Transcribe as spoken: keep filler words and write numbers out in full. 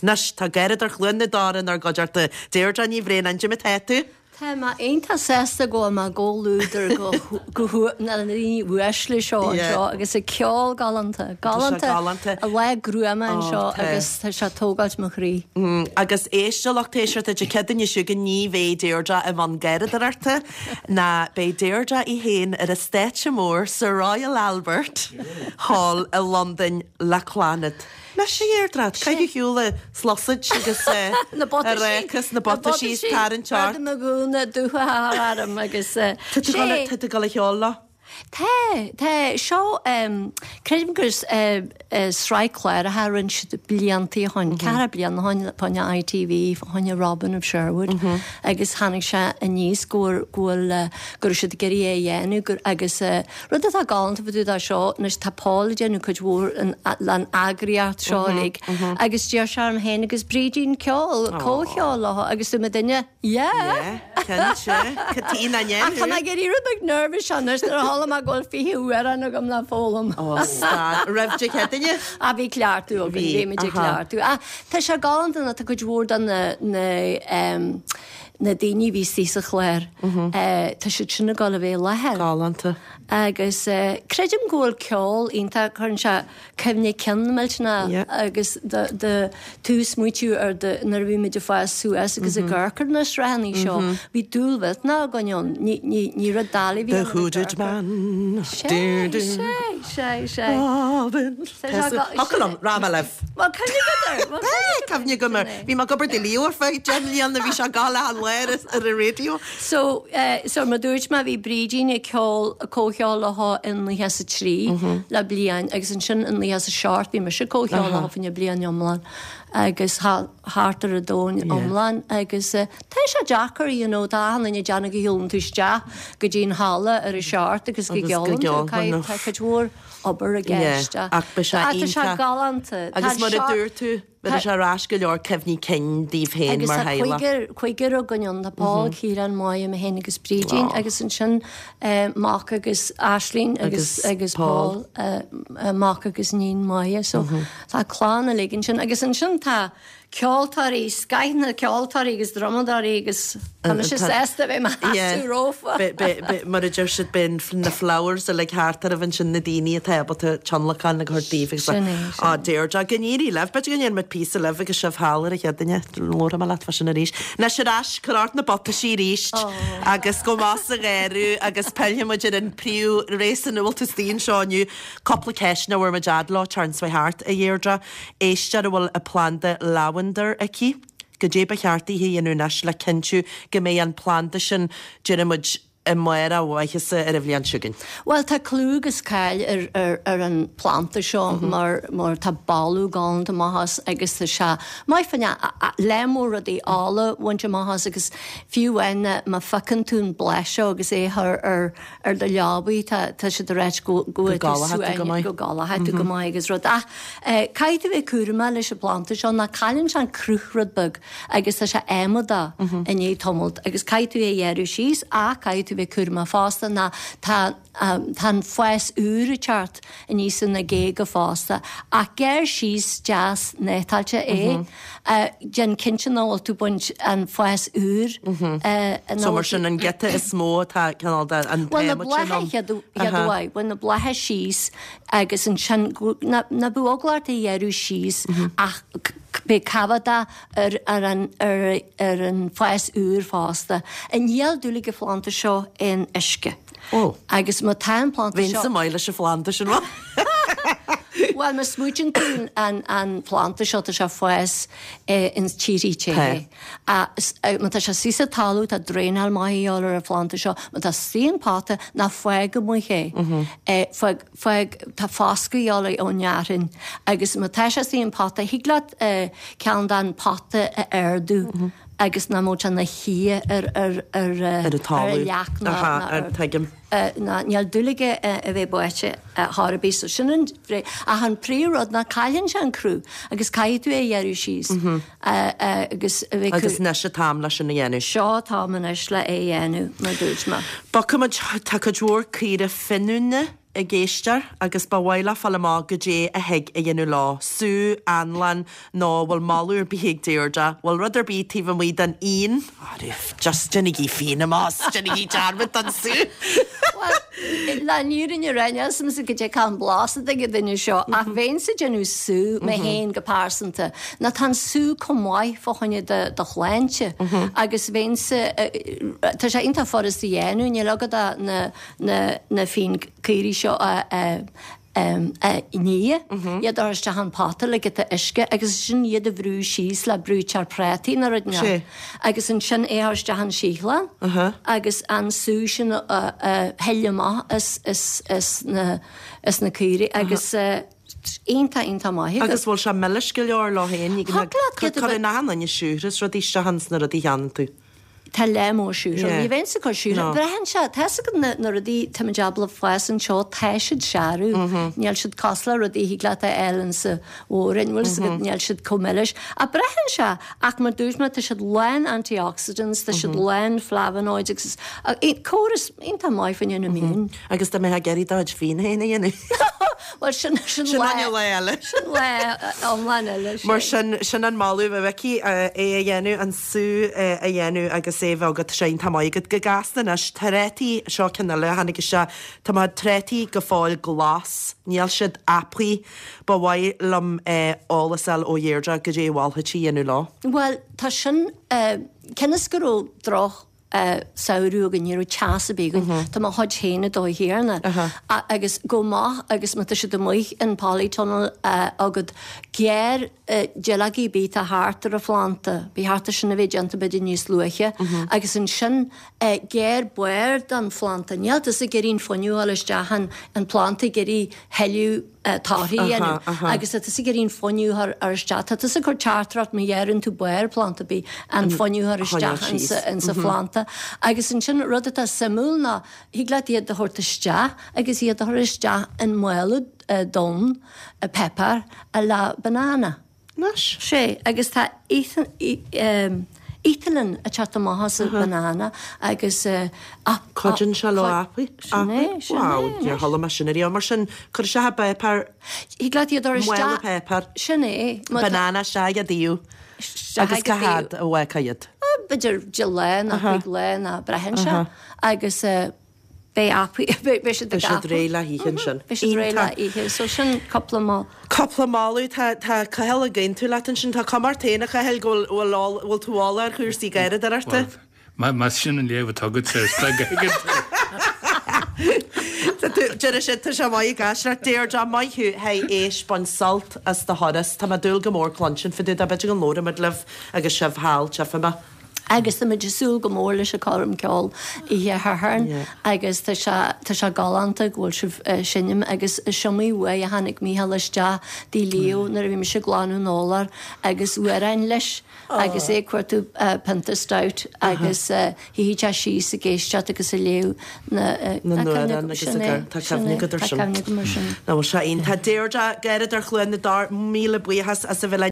Anois tá Garradóir Chluain na Dara inár gcuideachta Deirdre Ní Bhraonáin cad é mar atá tú. Tá mé iontach sásta go bhfuil mé i gcomhluadar go na daoine uaisle seo anseo agus a ceol galánta galánta a lá gruama anseo agus tá sé tógáilt mo chroí. Mm, agus éist a lucht éisteachta Dé Céadaoine seo chugainn ní bheidh Deirdre i mbun garradóireachta ná beidh Deirdre í féin ar an stáitse mór sa Royal Albert Hall i Londain le Clannad. Leis a Dheirdre, caithfidh shiúla sluasaid agus Na a réchas na butaisí tarraingt ort. Na gúna dúcha arm agus Tá tú tá tú ag ceol leo? Tá tá seo creidim gur sraith cláracha a rinne siad blianta ó shin ceithre bliana ó shin fá choinne ITV fá choinne Robin of Sherwood agus tháinig sé aníos go bhfuil go raibh siad ag iarraidh é a dhéanamh agus rud atá galánta fá dtaobh de seo anois tá Paul ag déanamh cuid mhór an eagraíocht seo uilig agus deir sé orm féin agus Brídín ceol comhcheol leo agus dúirt mé duine yeah. Ach tá mé ag éirí rud beag nervous anois nuair a chuala mé go bhfuil fiche amhrán agam le foghlaim. Roimh Dé Céadaoine? A bhí cleachtadh againn, bhí muid ag cleachtadh. Ach tá sé galánta ná tá cuid mhór de na na na daoine a bhí istigh sa chlár, tá siad sin ag dul a bheith i láthair. Galánta. Agus creidim go bhfuil ceol iontach, cuireann sé cuimhne cinn millteanach agus do do tú smaoitiú ar do nuair a bhí muid ag fás suas agus ag amharc ar na sraitheanna seo, bhí dúil mhillteanach againn ann, ní ní ní rud doiligh a bhí The Hooded Man. Sé, sé, sé, sé. Robin. Thiocfadh liom, rá mé libh. Bhuel, cuimhne agat air. Bhuel, cuimhne agam air. Bhí mé ag obair do Leo ar feadh deich mbliana, bhí sé ag gabháil achan lá ar ar an raidió. So, so mar dúirt mé bhí Brídín ag ceol, comhcheol leo in naocha is a trí le bliain agus ansin in naocha is a seacht bhí mise ag comhcheol leo fá choinne bliain iomlán agus thart ar an domhan iomlán agus tá sé deacair you know tá achan duine ag déanamh go shiúlann tú isteach go dtí an halla ar a seacht agus go gceolann tú caithfidh tá cuid mhór obair i gceist ach beidh sé ach tá sé galánta. Agus mar a dúirt tú bheadh sé ar ais go leor cuimhní cinn daoibh féin Agus mar tá theaghlach. cúigear cúigear againn ann tá Paul, Ciarán, Máire, mé féin agus Brídín agus ansin mac agus Aisling agus agus Paul mac agus níon Máire so tá clann uilig ansin agus ansin tá ceoltóirí, scoth na ceoltóirí agus drumadóirí agus tá mise sásta bheith i mo sheasamh rompu. Mar a deir siad beidh na flowers uilig thart oraibh ansin na daoine atá ábalta tionlacan a thabhairt daoibh agus Sin é, sin á Deirdre, go n-éirí libh, b'fhéidir go ndéanfaidh muid píosa libh agus sibh thall ar an Chéadaoine, labharfaidh mé leat fá sin arís. Anois ar ais, cuir ort na butaisí arís agus gabh amach sa gharradh agus pillfidh muid ar an príomh-réasún a bhfuil tú istigh anseo inniu. Cúpla ceist nach bhfuair muid fhad leo tarraingt thart, a Dheirdre. Éisteoir a bhfuil a planda lavender aici, goidé ba cheart di a dhéanamh anois le cinntiú go mbeidh an planda sin, déarfaidh muid, i mbarr a mhaitheasa ar an bhliain seo chugainn. Bhuel, tá clú agus cáil ar, ar, ar an planda seo mar, mar tá boladh galánta amach as agus tá sé maith fá choinne lear mór rudaí ola a bhaint amach as agus fiú amháin má phiocann tú an bláth seo agus é a chur ar, ar do leabaidh tá, tá siad ag ráit go, go Go gcodlóidh tú go maith. go gcodlóidh tú go maith agus rud. Ach caithfidh tú bheith cúramach leis an bplanda seo ná cailleann sé an cruth rud beag agus tá sé adhmadach i ndiaidh tamalt agus caithfidh tú é a ghearradh síos ach caithfidh tú bheith cúramach fosta ná tá tá an fás úr ag teacht aníos ina géaga fosta ach gearr síos deas néatáilte é. Déan cinnte nach bhfuil tú ag baint an fás úr. So mar sin an giota is mó atá cineál de an Bhuel na t-adhmad sin blátha ann. chéad uair, bain na blátha síos agus ansin ná bíodh eagla ort é a ghearradh síos ach beidh coimhéadach ar ar an ar ar an fás úr fosta. Níl dúil ag an phlanda seo in uisce. Ó. Agus má tá an planda Bheinn seo. sa maith leis an phlanda sin. Bhuel má smaoitíonn tú an an planda seo tá sé ag fás ins tíorthaí te. Má tá sé istigh sa talamh tá draenáil maith a dhíobháil ar an phlanda seo, má tá istigh in pota ná fág amuigh é. Fág fág tá foscadh a dhíobháil ón fhearthainn agus má tá sé istigh in pota thig leat ceann den pota a ardú agus nach mbeadh sé ina shuí ar ar ar Ar an ar talamh. an leac ná Aha, ná ar ar tuigim. ná níl dúil aige a bheith báite chor ar bith so sin an ach an príomhrud ná cailleann sé an cruth agus caithfidh tú é a ghearradh síos agus a bheith Agus anois an t-am leis sin a dhéanamh. Seo an t-am anois le é a dhéanamh mar dúirt mé. Bogfaidh muid, tá cuid mhór caora finiúna ag éisteoir agus ba mhaith leo fáil amach goidé a thig a dhéanamh leo, sú, anlann, nó bhfuil moladh ar bith ag Deirdre, bhfuil rud ar bith taobh amuigh den fhíon? Just déanaigí fíon amach, déanaigí dearmad den sú! Bhuel, le an fhírinne a rá, níl 's a'msa goidé cén blas atá ag an duine seo, ach bheinnse ag déanamh sú mé féin go pearsanta, nó tá an sú chomh maith fá choinne do do shláinte agus bheinnse, tá sé iontach furast a dhéanamh, níl agat ach na na na fíonchaora seo a a a ní, iad a chur isteach an pota le giota uisce agus ansin iad a bhrú síos le brúiteoir prátaí nó rud inteacht agus ansin é a chur isteach an síothlán agus an sú sin a a shil amach as as as na as na caoirigh agus iontach iontach maith agus. Agus bhfuil sé milis go leor leo féin? Cuireann achan duine siúcra is rudaí isteach ins na rudaí a cheannaíonn tú. Tá lear mór siúcra. Ní bheinnse ag cur siúcra. Braitheann sé, tá 'fhios agat na na rudaí táimid ábalta fás anseo, tá siad searbh. Níl siad cosúil le rudaí a thig leat a fháil insa mhór-roinn, bhfuil 'fhios agat, níl siad chomh milis. Ach braitheann sé, ach mar dúirt mé, tá siad lán antioxidants, tá siad lán flavonoids agus córas iontach maith fá choinne an immune. Agus dá mbeifeá ag iarraidh do chuid fíon féin a dhéanamh. Bhuel, sin, sin Sin lá, lá eile. Sin lá iomlán eile. Mar sin, sin an moladh a Mhicí, é a dhéanamh, an sú a dhéanamh agus é a bheith agat, sé iontach maith agat. Go gasta anois, trátaí, seo ceann eile a tháinig isteach, tá mo trátaí go fóill glas, níl siad apaithe, ba mhaith liom eolas a fháil ó Dheirdre goidé a mholfá di a dhéanamh leo. Bhuel, tá sin, cionn is go raibh droch samhradh againn, ní raibh teas ar bith againn. Tá mo chuid féin ag dó thiarna. Agus go maith agus má tá siad amuigh in polytunnel agat, gearr duilleogaí ar bith atá thart ar an phlanda, ba cheart é sin a bheith déanta b'fhéidir níos luaithe, agus ansin gearr barr den phlanda. Níl tusa ag iarraidh an fuinneamh a fháil isteach in an planda ag iarraidh thuilleadh torthaí a dhéanamh agus tá tusa ag iarraidh an fuinneamh a chur isteach. Tá tusa ag cur teachtaireacht má ghearrann tú barr planda ar bith an fuinneamh a chur isteach insa insa phlanda. Agus ansin rud atá suimiúil ná thig leat iad a thabhairt isteach agus iad a chur isteach in mála donn páipéar le banana. Anois. Sé, agus tá ethylene ag teacht amach as an banana agus Cuidíonn sé leo apaí? Sin é, sin é. Wow, níor chuala mé sin ariamh. Mar sin, cuir isteach i bpáipéar. Thig leat iad a chur isteach. Mála páipéar. Sin é. Banana isteach ag an dtaobh. Agus cá fhad a bhfágfá iad? B'fhéidir deich lá nó cúig lá nó braitheann sé. Agus beidh apaí, beidh siad ag Beidh siad réidh le hithe ansin. Beidh siad réidh le hithe. So sin cúpla moladh. Cúpla moladh. Tá, tá Cathal ag aontú leat ansin. Tá cuma ort féin, a Chathail, go bhfuil, bhfuil, bhfuil tú eolach ar chúrsaí garraíodóireachta. Bhuel, más sin an léamh atá agat air, is beag a thuigeann tú. Tá tú, deir siad, tá sé maith ag aisteoireacht. Deirdre, maith thú, théis, bain sult as do thuras. Tá mé ag dúil go mór cluinstin fá dtaobh de. B'fhéidir go labhróimid libh agus sibh thall, tchífidh mé. Agus táimid ag súil go mór leis an choirm ceoil oíche Shathairn agus tá sé tá sé galánta go bhfuil sibh ag seinm agus is iomaí uair a tháinig Mícheál isteach dtigh Leo nuair a bhí mise ag glanadh an urláir agus amhráin leis agus é ag cuartú pionta stout agus shuíodh sé síos ag éisteacht agus ag léamh na na n-amhrán agus sin é tá sin cuimhne é agat ar tá sin. cuimhne agam ar sin. Ná bhfuil sé iontach. Deirdre, Garraíodóir Chluain na dTor, míle buíochas as a bheith linn.